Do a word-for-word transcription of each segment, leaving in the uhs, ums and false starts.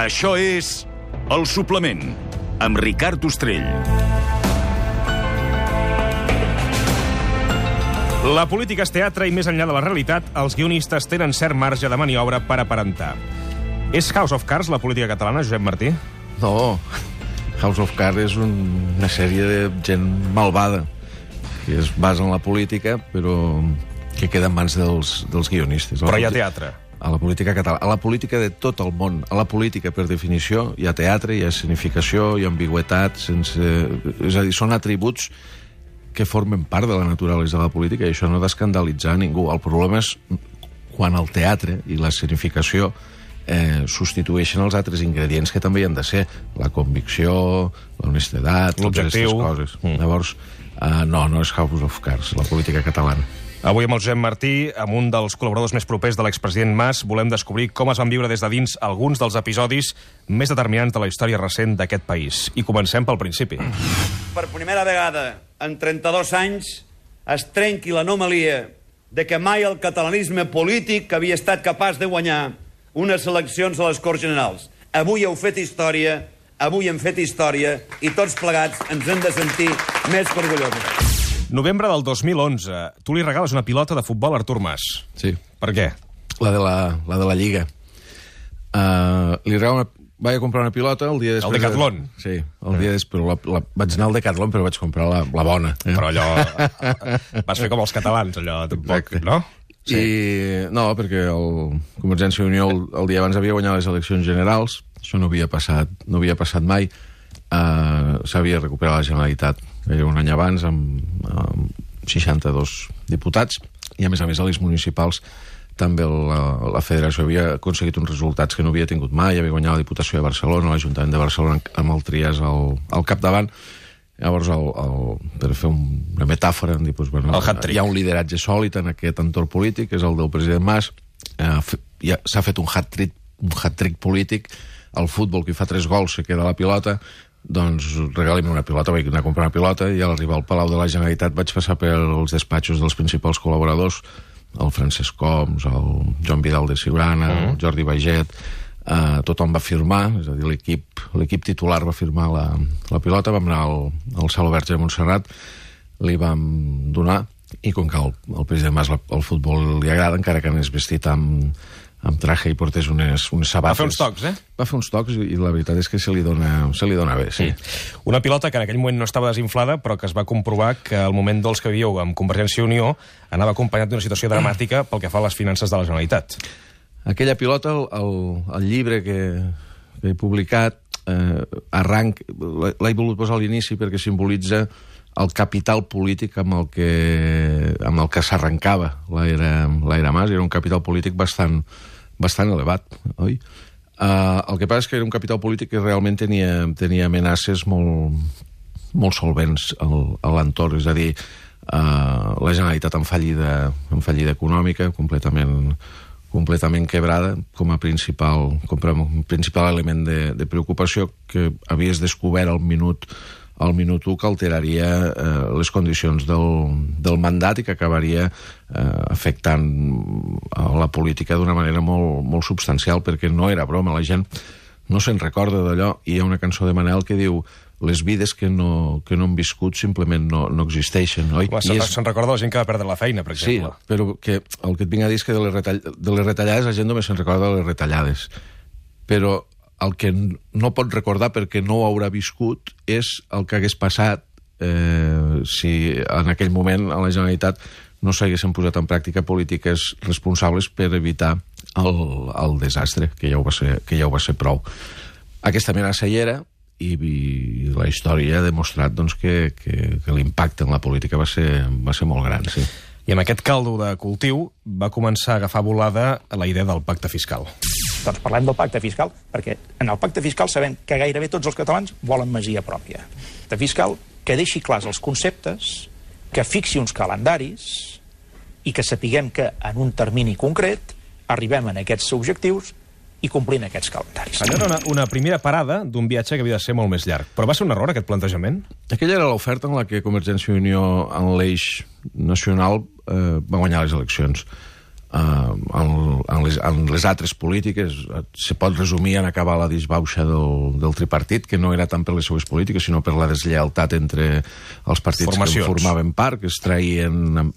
Això és El Suplement, amb Ricard Ostrell. La política és teatre i, més enllà de la realitat, els guionistes tenen cert marge de maniobra per aparentar. És House of Cards la política catalana, Josep Martí? No, House of Cards és un, una sèrie de gent malvada que es basa en la política, però que queda en mans dels, dels guionistes. Però hi ha teatre. A la política catalana, a la política de tot el món. A la política, per definició, hi ha teatre, hi ha escenificació, hi ha ambigüetat, sense... És a dir, són atributs que formen part de la naturalesa de la política, i això no ha d'escandalitzar ningú. El problema és quan el teatre i l'escenificació eh, substitueixen els altres ingredients que també hi han de ser. La convicció, l'honestedat, totes aquestes coses. Mm. Llavors, eh, no, no és House of Cards, la política catalana. Avui amb el Josep Martí, amb un dels col·laboradors més propers de l'expresident Mas, volem descobrir com es van viure des de dins alguns dels episodis més determinants de la història recent d'aquest país. I comencem pel principi. Per primera vegada en trenta-dos anys es trenqui l'anomalia de que mai el catalanisme polític havia estat capaç de guanyar unes eleccions a les Corts Generals. Avui heu fet història, avui hem fet història, i tots plegats ens hem de sentir més que orgullosos. Novembre del dos mil onze. Tu li regales una pilota de futbol a Artur Mas. Sí. Per què? La de la, la, de la Lliga. Uh, li regalo una... Vaig a comprar una pilota el dia després... El Decathlon. De... Sí, el dia després. La, la... Vaig anar al Decathlon, però vaig comprar la, la bona. Eh? Però allò... Vas fer com els catalans, allò, tampoc, no? Sí. I... No, perquè el Convergència i Unió el, el dia abans havia guanyat les eleccions generals. Això no havia passat, no havia passat mai. Uh, S'havia recuperat la Generalitat un any abans amb, amb seixanta-dos diputats, i a més a més a les municipals també la, la federació havia aconseguit uns resultats que no havia tingut mai. Havia guanyat la Diputació de Barcelona, l'Ajuntament de Barcelona amb el Trias al, al capdavant. Llavors, el, el, per fer un, una metàfora, dir, doncs, bueno, hi ha un lideratge sòlid en aquest entorn polític, que és el del president Mas. Eh, s'ha fet un hat-trick un hat-trick polític. El futbol, qui fa tres gols se queda la pilota. Doncs regali'm una pilota, vaig anar a comprar una pilota, i a l'arribar al Palau de la Generalitat vaig passar pels despatxos dels principals col·laboradors, el Francesc Homs, el Joan Vidal de Siurana, mm. el Jordi Baiget, eh, tothom va firmar, és a dir, l'equip l'equip titular va firmar la, la pilota. Vam anar al, al Saló Verge de Montserrat, li vam donar, i com que el, el president Mas el futbol li agrada, encara que anés vestit amb amb traje i portés unes, unes sabates. Va fer uns tocs, eh? Va fer uns tocs, i la veritat és que se li dona, se li dona bé, sí. sí. Una pilota que en aquell moment no estava desinflada, però que es va comprovar que el moment dolç que vivíeu amb Convergència i Unió anava acompanyat d'una situació dramàtica pel que fa a les finances de la Generalitat. Aquella pilota, el, el, el llibre que, que he publicat, eh, arranc, l'he volgut posar a l'inici perquè simbolitza el capital polític amb el que, amb el que s'arrencava l'era Mas. Era un capital polític bastant, bastant elevat, oi? Uh, el que passa és que era un capital polític que realment tenia, tenia amenaces molt, molt solvents al, a l'entorn. És a dir, uh, la Generalitat en fallida, en fallida econòmica, completament, completament quebrada, com a principal, com a principal element de, de preocupació, que havies descobert al minut al minut u, que alteraria eh, les condicions del, del mandat i que acabaria eh, afectant a la política d'una manera molt, molt substancial, perquè no era broma. La gent no se'n recorda d'allò, i hi ha una cançó de Manel que diu: les vides que no, que no han viscut simplement no, no existeixen, oi? Se'n és... se recorda la gent que va perdre la feina, per exemple. Sí, però que el que et vinc a dir és que de les, retall... de les retallades la gent només se'n recorda de les retallades. Però el que no pot recordar, perquè no ho haurà viscut, és el que hagués passat eh, si en aquell moment a la Generalitat no s'haguessin posat en pràctica polítiques responsables per evitar el, el desastre, que ja, ho va ser, que ja ho va ser prou. Aquesta amenaça hi era, i, i la història ha demostrat doncs, que, que, que l'impacte en la política va ser, va ser molt gran, sí. I amb aquest caldo de cultiu va començar a agafar volada la idea del pacte fiscal. Doncs parlem del pacte fiscal, perquè en el pacte fiscal sabem que gairebé tots els catalans volen masia pròpia. Pacte fiscal que deixi clars els conceptes, que fixi uns calendaris i que sapiguem que en un termini concret arribem a aquests objectius i complint aquests calendaris. Allò era una, una primera parada d'un viatge que havia de ser molt més llarg. Però va ser un error, aquest plantejament? Aquella era l'oferta en la que Convergència i Unió, en l'eix nacional, eh, va guanyar les eleccions. Uh, en, en, les, en les altres polítiques se pot resumir en acabar la disbauxa del, del tripartit, que no era tant per les seues polítiques sinó per la deslleialtat entre els partits Formacions. que en formaven part, que es traïen,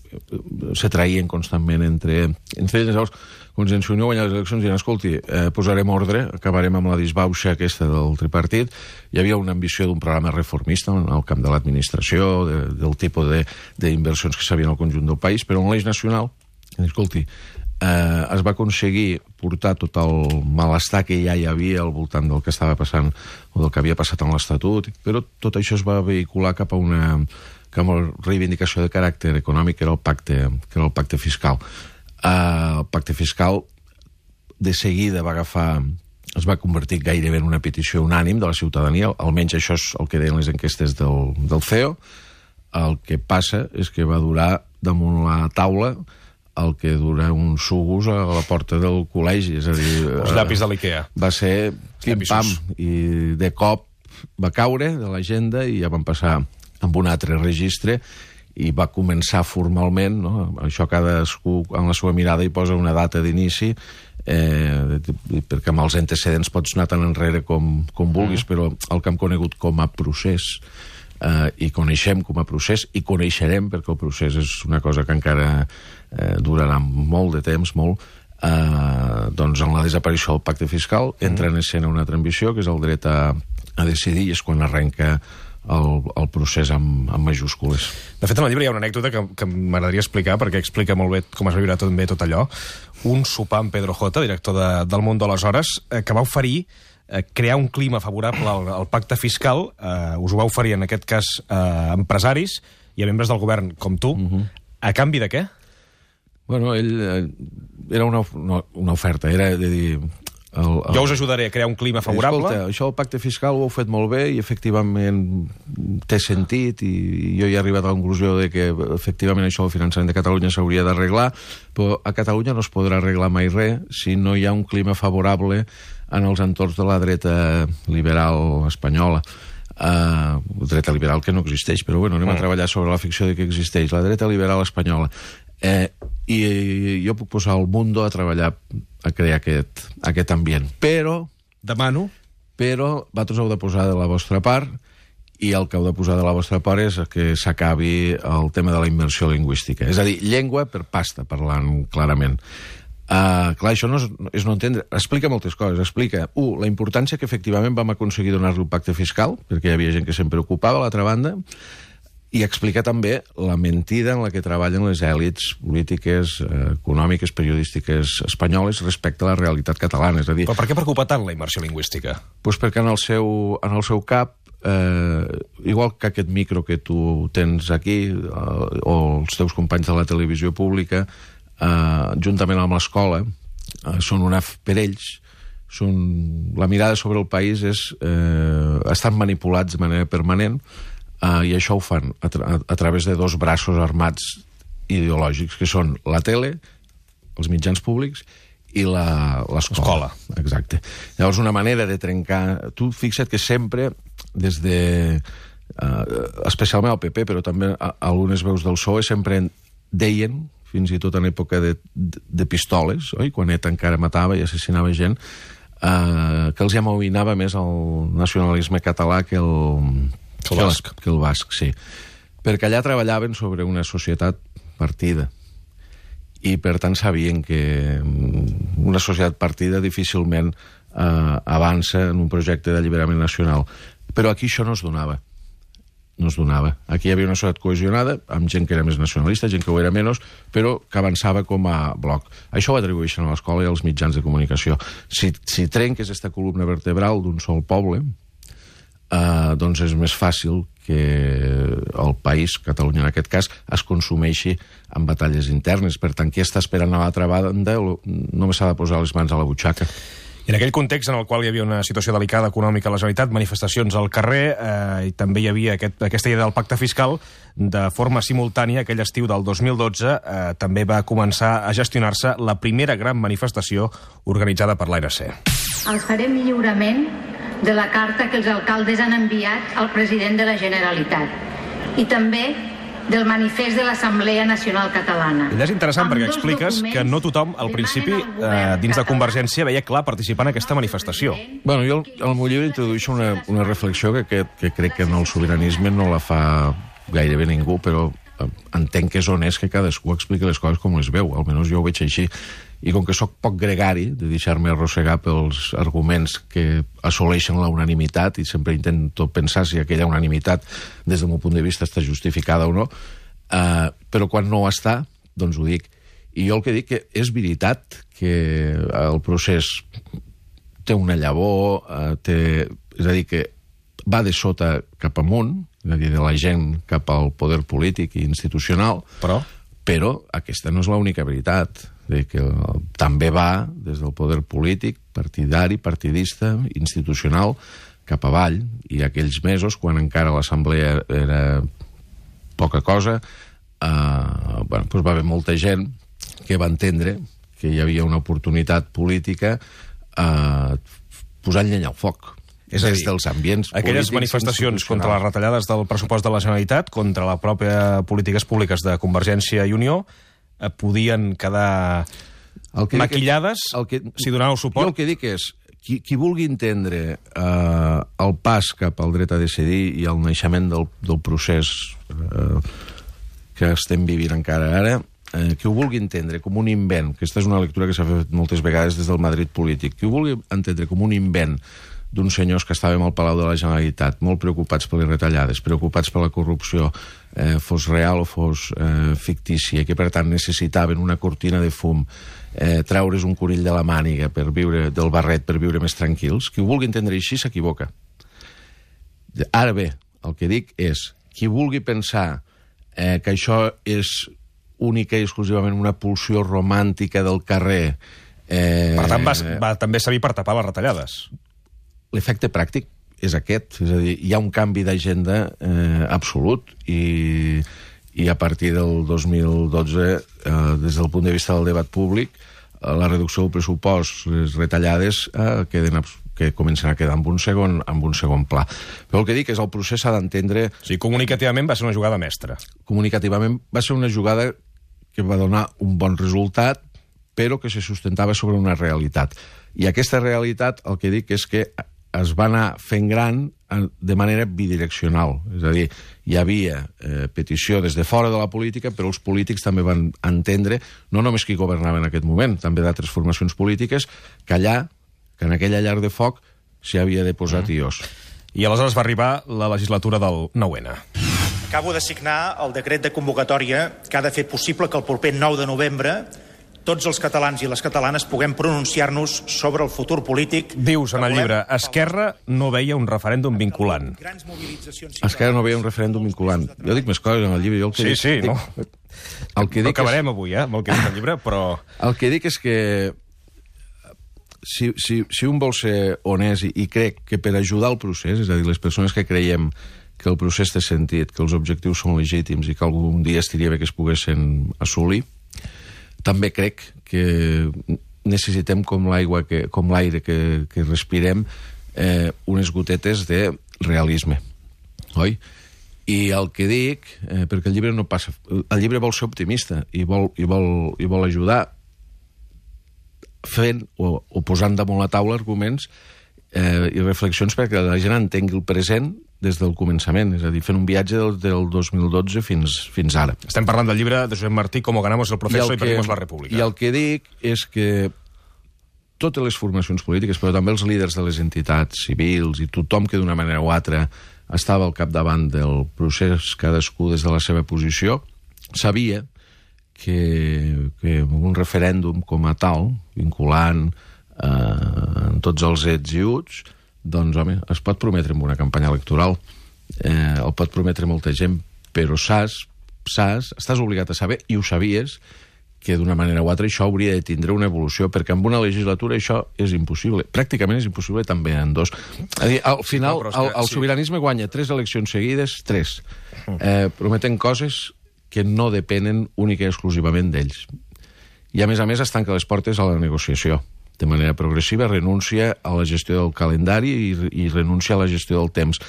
se traïen constantment entre, entre ells. Llavors, Convergència i Unió guanya les eleccions i diuen, escolti, eh, posarem ordre, acabarem amb la disbauxa aquesta del tripartit. Hi havia una ambició d'un programa reformista en el camp de l'administració, de, del tipus d'inversions que s'havien al conjunt del país, però en l'eix nacional, escolti, eh, es va aconseguir portar tot el malestar que ja hi havia al voltant del que estava passant o del que havia passat en l'Estatut, però tot això es va vehicular cap a una, cap a una reivindicació de caràcter econòmic, que era el pacte, que era el pacte fiscal. Uh, el pacte fiscal de seguida va agafar, es va convertir gairebé en una petició unànim de la ciutadania, almenys això és el que deien les enquestes del, del C E O. El que passa és que va durar damunt la taula el que dura un sugus a la porta del col·legi, és a dir... Els llapis de l'Ikea. Va ser pim-pam, i de cop va caure de l'agenda i ja van passar amb un altre registre i va començar formalment, no? Això cadascú en la seva mirada hi posa una data d'inici, eh, perquè amb els antecedents pots anar tan enrere com, com vulguis, però el que hem conegut com a procés, eh, i coneixem com a procés, i coneixerem, perquè el procés és una cosa que encara eh, durarà molt de temps, molt, eh, doncs en la desaparició del pacte fiscal entra en escena una altra ambició, que és el dret a, a decidir, i és quan arrenca El, el procés amb, amb majúscules. De fet, en el llibre hi ha una anècdota que, que m'agradaria explicar, perquè explica molt bé com es va viure tot bé tot allò. Un sopar amb Pedro J, director de, del Mundo aleshores, eh, que va oferir eh, crear un clima favorable al, al pacte fiscal. Eh, us ho va oferir, en aquest cas, a eh, empresaris i a membres del govern com tu. Uh-huh. A canvi de què? Bueno, ell... Eh, era una, una, una oferta, era de dir... El, el... Jo us ajudaré a crear un clima favorable. Escolta, això del pacte fiscal ho heu fet molt bé i efectivament té sentit, i jo he arribat a la conclusió de que efectivament això del finançament de Catalunya s'hauria d'arreglar, però a Catalunya no es podrà arreglar mai res si no hi ha un clima favorable en els entorns de la dreta liberal espanyola. Uh, dreta liberal que no existeix, però bueno, anem mm. a treballar sobre la ficció de que existeix, la dreta liberal espanyola. Eh, i, i jo puc posar el Mundo a treballar a crear aquest, aquest ambient, però demano però vosaltres heu de posar de la vostra part, i el que heu de posar de la vostra part és que s'acabi el tema de la immersió lingüística, és a dir, llengua per pasta, parlant clarament. Uh, clar, això no és, és no entendre, explica moltes coses, explica, un, la importància que efectivament vam aconseguir donar-li el pacte fiscal, perquè hi havia gent que se'n preocupava, a l'altra banda, i explica també la mentida en la que treballen les èlits polítiques, eh, econòmiques, periodístiques espanyoles respecte a la realitat catalana. És a dir, però per què preocupa tant la immersió lingüística? Pues perquè en el seu, en el seu cap, eh, igual que aquest micro que tu tens aquí, eh, o els teus companys de la televisió pública, eh, juntament amb l'escola, eh, són una... per ells, són, la mirada sobre el país és, eh, estan manipulats de manera permanent. Uh, i això ho fan a, tra a través de dos braços armats ideològics, que són la tele, els mitjans públics i l'escola. Exacte. Llavors, una manera de trencar... Tu fixa't que sempre, des de... Uh, especialment el P P, però també a, a algunes veus del P S O E, sempre deien, fins i tot en època de, de, de pistoles, oi? Quan ETA encara matava i assassinava gent, uh, que els amoïnava més el nacionalisme català que el... Que el basc. Que el basc, sí. Perquè allà treballaven sobre una societat partida. I, per tant, sabien que una societat partida difícilment eh, avança en un projecte d'alliberament nacional. Però aquí això no es donava. No es donava. Aquí hi havia una societat cohesionada, amb gent que era més nacionalista, gent que ho era menys, però que avançava com a bloc. Això ho atribueixen a l'escola i als mitjans de comunicació. Si, si trenques aquesta columna vertebral d'un sol poble... Uh, doncs és més fàcil que el país, Catalunya en aquest cas, es consumeixi en batalles internes. Per tant, qui està esperant a l'altra banda només s'ha de posar les mans a la butxaca. I en aquell context en el qual hi havia una situació delicada econòmica a la Generalitat, manifestacions al carrer, eh, i també hi havia aquest, aquesta idea del pacte fiscal, de forma simultània, aquell estiu del dos mil dotze, eh, també va començar a gestionar-se la primera gran manifestació organitzada per l'A N C. Els farem lliurement de la carta que els alcaldes han enviat al president de la Generalitat. I també del manifest de l'Assemblea Nacional Catalana. Ella és interessant perquè expliques que no tothom, al principi, eh, dins de Convergència, veia clar participar en aquesta manifestació. Bueno, jo al meu llibre introdueixo una, una reflexió que, que, que crec que en el sobiranisme no la fa gairebé ningú, però entenc que és honest que cadascú expliqui les coses com les veu, almenys jo ho veig així. I com que sóc poc gregari de deixar-me arrossegar pels arguments que assoleixen la unanimitat, i sempre intento pensar si aquella unanimitat, des del meu punt de vista, està justificada o no, eh, però quan no ho està, doncs ho dic. I jo el que dic que és veritat que el procés té una llavor, eh, té, és a dir, que va de sota cap amunt, és a dir, de la gent cap al poder polític i institucional, Però? però aquesta no és l'única veritat. De que també va des del poder polític, partidari, partidista, institucional, cap avall. I aquells mesos, quan encara l'assemblea era poca cosa, eh, bueno, doncs va haver molta gent que va entendre que hi havia una oportunitat política eh, posant llenya al foc. És a dir, des dels ambients aquelles manifestacions contra les retallades del pressupost de la Generalitat, contra la pròpia polítiques públiques de Convergència i Unió, eh, podien quedar maquillades que, que, si donàveu suport. Jo el que dic és, qui, qui vulgui entendre eh, el pas cap al dret a decidir i el naixement del, del procés eh, que estem vivint encara ara, eh, qui ho vulgui entendre com un invent, que aquesta és una lectura que s'ha fet moltes vegades des del Madrid polític, qui ho vulgui entendre com un invent d'uns senyors que estàvem al Palau de la Generalitat, molt preocupats per les retallades, preocupats per la corrupció, eh, fos real o fos eh, fictícia, que per tant necessitaven una cortina de fum, eh, treure's un conill de la màniga per viure del barret per viure més tranquils. Qui ho vulgui entendre així s'equivoca. Ara bé, el que dic és, qui vulgui pensar eh, que això és única i exclusivament una pulsió romàntica del carrer... Eh, per tant, va, va també servir per tapar les retallades. L'efecte pràctic és aquest, és a dir, hi ha un canvi d'agenda eh, absolut i, i a partir del dos mil dotze, eh, des del punt de vista del debat públic, eh, la reducció del pressupost, les retallades, eh, queden, que comencen a quedar en un, segon, en un segon pla. Però el que dic és el procés s'ha d'entendre... O sigui, comunicativament va ser una jugada mestra. Comunicativament va ser una jugada que va donar un bon resultat, però que se sustentava sobre una realitat. I aquesta realitat, el que dic és que es va anar fent gran de manera bidireccional. És a dir, hi havia eh, petició des de fora de la política, però els polítics també van entendre, no només qui governava en aquest moment, també d'altres formacions polítiques, que allà, que en aquella llar de foc, s'hi havia de posar tios. I aleshores va arribar la legislatura del nou ene. Acabo de signar el decret de convocatòria que ha de fer possible que el proper nou de novembre tots els catalans i les catalanes puguem pronunciar-nos sobre el futur polític... Dius en el llibre, Esquerra no veia un referèndum vinculant. Esquerra no veia un referèndum vinculant. Jo dic més coses en el llibre. Jo el que sí, dic, sí, dic, no. El que no dic acabarem és, avui, eh, amb el que dic el llibre, però... El que dic és que si, si, si un vol ser honest i, i crec que per ajudar el procés, és a dir, les persones que creiem que el procés té sentit, que els objectius són legítims i que algun dia estaria bé que es poguessin assolir, també crec que necessitem, com l'aigua, que, com l'aire que, que respirem, eh, unes gotetes de realisme, oi? I el que dic, eh, perquè el llibre no passa... El llibre vol ser optimista i vol, i vol, i vol ajudar fent o, o posant damunt la taula arguments eh, i reflexions perquè la gent entengui el present des del començament, és a dir, fent un viatge del, del dos mil dotze fins, fins ara. Estem parlant del llibre de Josep Martí, Com ganamos el proceso i, I perdimos la república. I el que dic és que totes les formacions polítiques, però també els líders de les entitats civils i tothom que d'una manera o altra estava al capdavant del procés, cadascú des de la seva posició, sabia que, que un referèndum com a tal, vinculant eh, en tots els ets i uts, doncs, home, es pot prometre en una campanya electoral, eh, el pot prometre molta gent, però saps, saps, estàs obligat a saber, i ho sabies, que d'una manera o altra això hauria de tindre una evolució, perquè en una legislatura això és impossible. Pràcticament és impossible també en dos. És dir, al final, no, el, el sobiranisme guanya tres eleccions seguides, tres, eh, prometen coses que no depenen única i exclusivament d'ells. I, a més a més, es tanca les portes a la negociació. De manera progressiva, renuncia a la gestió del calendari i, i renuncia a la gestió del temps.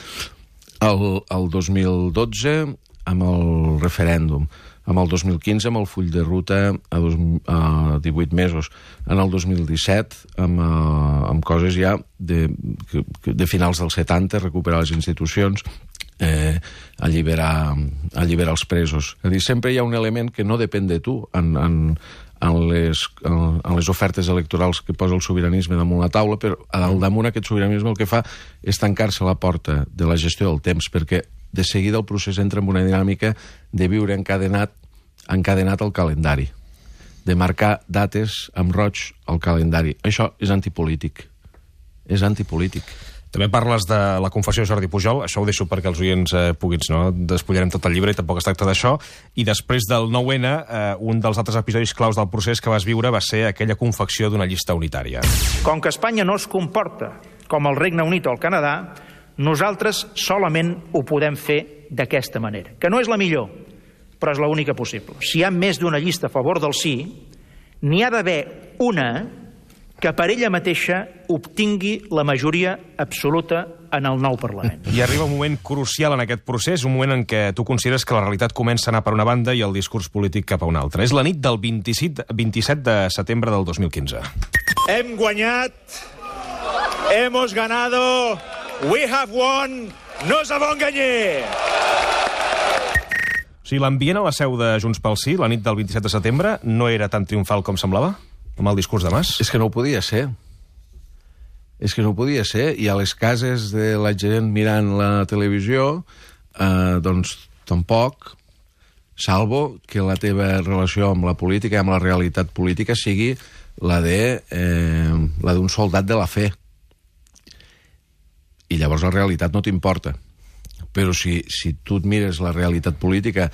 El, el dos mil dotze amb el referèndum, amb el dos mil quinze amb el full de ruta a, dos, a divuit mesos, en el dos mil disset amb, uh, amb coses ja de, de finals dels setanta, recuperar les institucions, eh, alliberar, alliberar els presos. És a dir, sempre hi ha un element que no depèn de tu en, en, en, les, en, en les ofertes electorals que posa el sobiranisme damunt la taula, però al damunt aquest sobiranisme el que fa és tancar-se la porta de la gestió del temps, perquè de seguida el procés entra en una dinàmica de viure encadenat, encadenat al calendari, de marcar dates amb roig al calendari. Això és antipolític. És antipolític. També parles de la confessió de Jordi Pujol, això ho deixo perquè els oients eh, puguin, no? Despullarem tot el llibre i tampoc es tracta d'això. I després del nou ene, eh, un dels altres episodis claus del procés que vas viure va ser aquella confecció d'una llista unitària. Com que Espanya no es comporta com el Regne Unit o el Canadà, nosaltres solament ho podem fer d'aquesta manera, que no és la millor, però és l'única possible. Si hi ha més d'una llista a favor del sí, n'hi ha d'haver una que per ella mateixa obtingui la majoria absoluta en el nou Parlament. I arriba un moment crucial en aquest procés, un moment en què tu consideres que la realitat comença a anar per una banda i el discurs polític cap a una altra. És la nit del vint-i-set, vint-i-set de setembre del dos mil quinze. Hem guanyat, hemos ganado, we have won, no s'ha engañar. O sigui, l'ambient a la seu de Junts pel Sí, la nit del vint-i-set de setembre, no era tan triomfal com semblava, amb el discurs de Mas? És que no ho podia ser. És que no ho podia ser. I a les cases de la gent mirant la televisió, eh, doncs tampoc, salvo que la teva relació amb la política i amb la realitat política sigui la de eh, la d'un soldat de la fe. I llavors la realitat no t'importa. Però si, si tu et mires la realitat política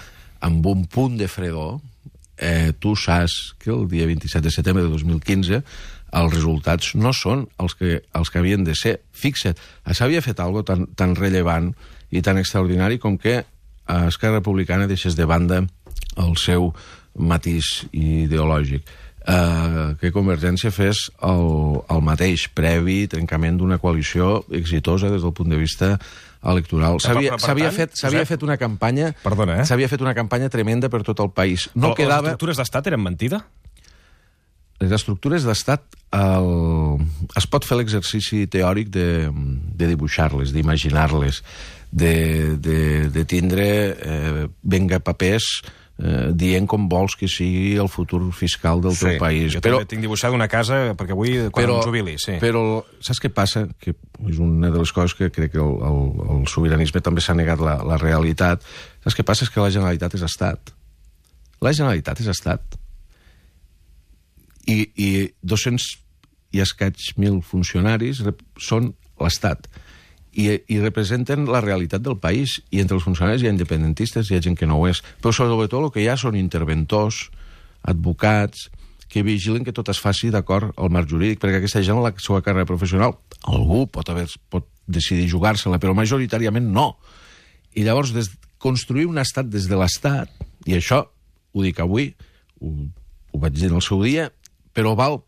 amb un punt de fredor, eh, tu saps que el dia vint-i-set de setembre de dos mil quinze els resultats no són els que, els que havien de ser. Fixa't, s'havia fet alguna cosa tan, tan rellevant i tan extraordinari com que a Esquerra Republicana deixés de banda el seu matís ideològic. Eh, que Convergència fes el, el mateix, previ trencament d'una coalició exitosa des del punt de vista electoral. S'havia fet, fet una campanya Perdona, eh? s'havia fet una campanya tremenda per tot el país. No Però quedava... les estructures d'estat eren mentida? Les estructures d'estat el... es pot fer l'exercici teòric de, de dibuixar-les, d'imaginar-les, de, de, de tindre eh, venga papers eh, dient com vols que sigui el futur fiscal del sí, teu país. Jo però, també tinc dibuixada una casa perquè avui, quan però, em jubili, sí. Però saps què passa? Que és una de les coses que crec que el, el, el sobiranisme també s'ha negat la, la realitat. Saps què passa? És que la Generalitat és Estat. La Generalitat és Estat. I, i dos-cents i escaig mil funcionaris són l'Estat. I, i representen la realitat del país, i entre els funcionaris hi ha independentistes, hi ha gent que no ho és, però sobretot el que hi ha són interventors, advocats, que vigilen que tot es faci d'acord al marc jurídic, perquè aquesta gent, la seva carrera professional, algú pot, haver, pot decidir jugar-se-la, però majoritàriament no. I llavors, des, construir un estat des de l'Estat, i això ho dic avui, ho, ho vaig dir en el seu dia, però val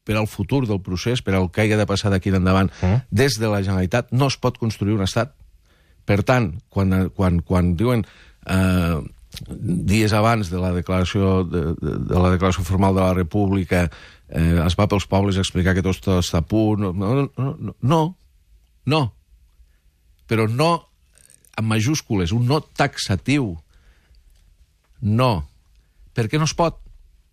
per al futur del procés, per al que hagi de passar d'aquí endavant, mm. des de la Generalitat no es pot construir un estat. Per tant, quan, quan, quan diuen eh, dies abans de la declaració de, de, de la declaració formal de la República eh, es va pels pobles a explicar que tot està a punt, no, no, no, no, no. Però no en majúscules, un no taxatiu. No. Per què no es pot?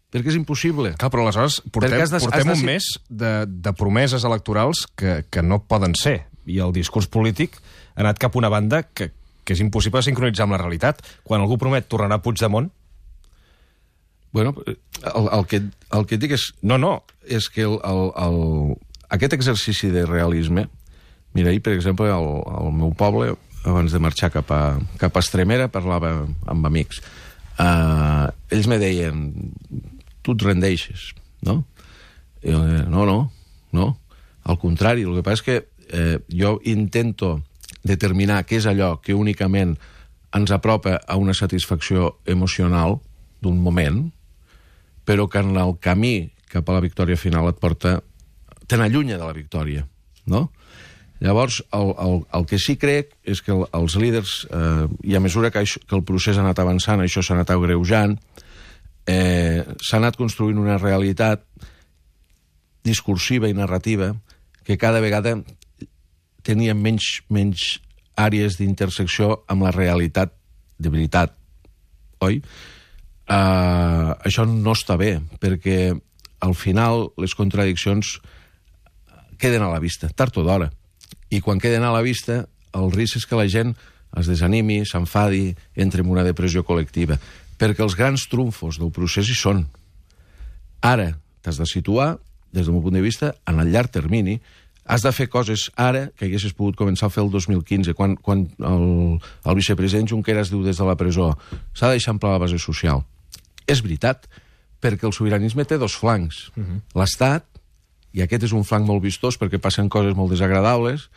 Perquè és impossible. Clar, però aleshores portem, has de, portem has de... un mes de, de promeses electorals que, que no poden ser. I el discurs polític ha anat cap a una banda que, que és impossible sincronitzar amb la realitat. Quan algú promet tornarà a Puigdemont... Bueno, el, el, que, el que et dic és... No, no. És que el, el, el, aquest exercici de realisme... Mira, ahir, per exemple, al, al meu poble, abans de marxar cap a, cap a Estremera, parlava amb amics. Uh, ells me deien... tu et rendeixes, no? I jo, no, no, no. Al contrari, el que passa és que eh, jo intento determinar què és allò que únicament ens apropa a una satisfacció emocional d'un moment, però que en el camí cap a la victòria final et porta... te n'allunya de la victòria, no? Llavors, el, el, el que sí crec és que el, els líders, eh, i a mesura que, això, que el procés ha anat avançant, això s'ha anat agreujant, eh, s'ha anat construint una realitat discursiva i narrativa que cada vegada tenia menys, menys àrees d'intersecció amb la realitat de veritat, oi? Uh, això no està bé, perquè al final les contradiccions queden a la vista, tard o d'hora. I quan queden a la vista, el risc és que la gent es desanimi, s'enfadi, entre en una depressió col·lectiva. Perquè els grans trumfos del procés hi són. Ara t'has de situar, des del meu punt de vista, en el llarg termini. Has de fer coses ara que haguessis pogut començar a fer el dos mil quinze, quan, quan el, el vicepresident Junqueras diu des de la presó s'ha d'eixamplar la base social. És veritat, perquè el sobiranisme té dos flancs. Uh-huh. L'Estat, i aquest és un flanc molt vistós perquè passen coses molt desagradables,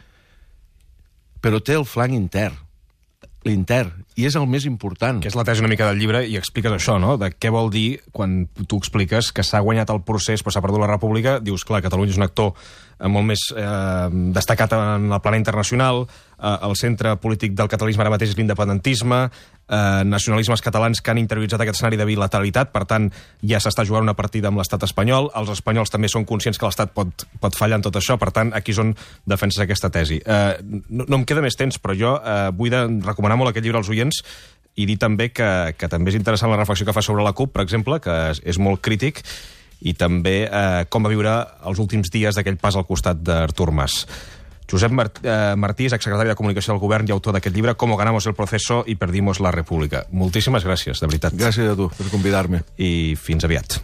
però té el flanc intern, l'intern, i és el més important. Que és la tesi una mica del llibre, i expliques això, no? De què vol dir quan tu expliques que s'ha guanyat el procés però s'ha perdut la república. Dius, clar, Catalunya és un actor molt més eh, destacat en el pla internacional, eh, el centre polític del catalanisme ara mateix és l'independentisme, eh, nacionalismes catalans que han interioritzat aquest escenari de bilateralitat, per tant, ja s'està jugant una partida amb l'estat espanyol, els espanyols també són conscients que l'estat pot, pot fallar en tot això, per tant, aquí és on defenses aquesta tesi. Eh, no, no em queda més temps, però jo eh, vull de recomanar molt aquest llibre als oients i dir també que, que també és interessant la reflexió que fa sobre la CUP, per exemple, que és, és molt crític, i també eh, com va viure els últims dies d'aquell pas al costat d'Artur Mas. Josep Mart eh, Martí és exsecretari de Comunicació del Govern i autor d'aquest llibre Cómo ganamos el proceso y perdimos la república. Moltíssimes gràcies, de veritat. Gràcies a tu per convidar-me. I fins aviat.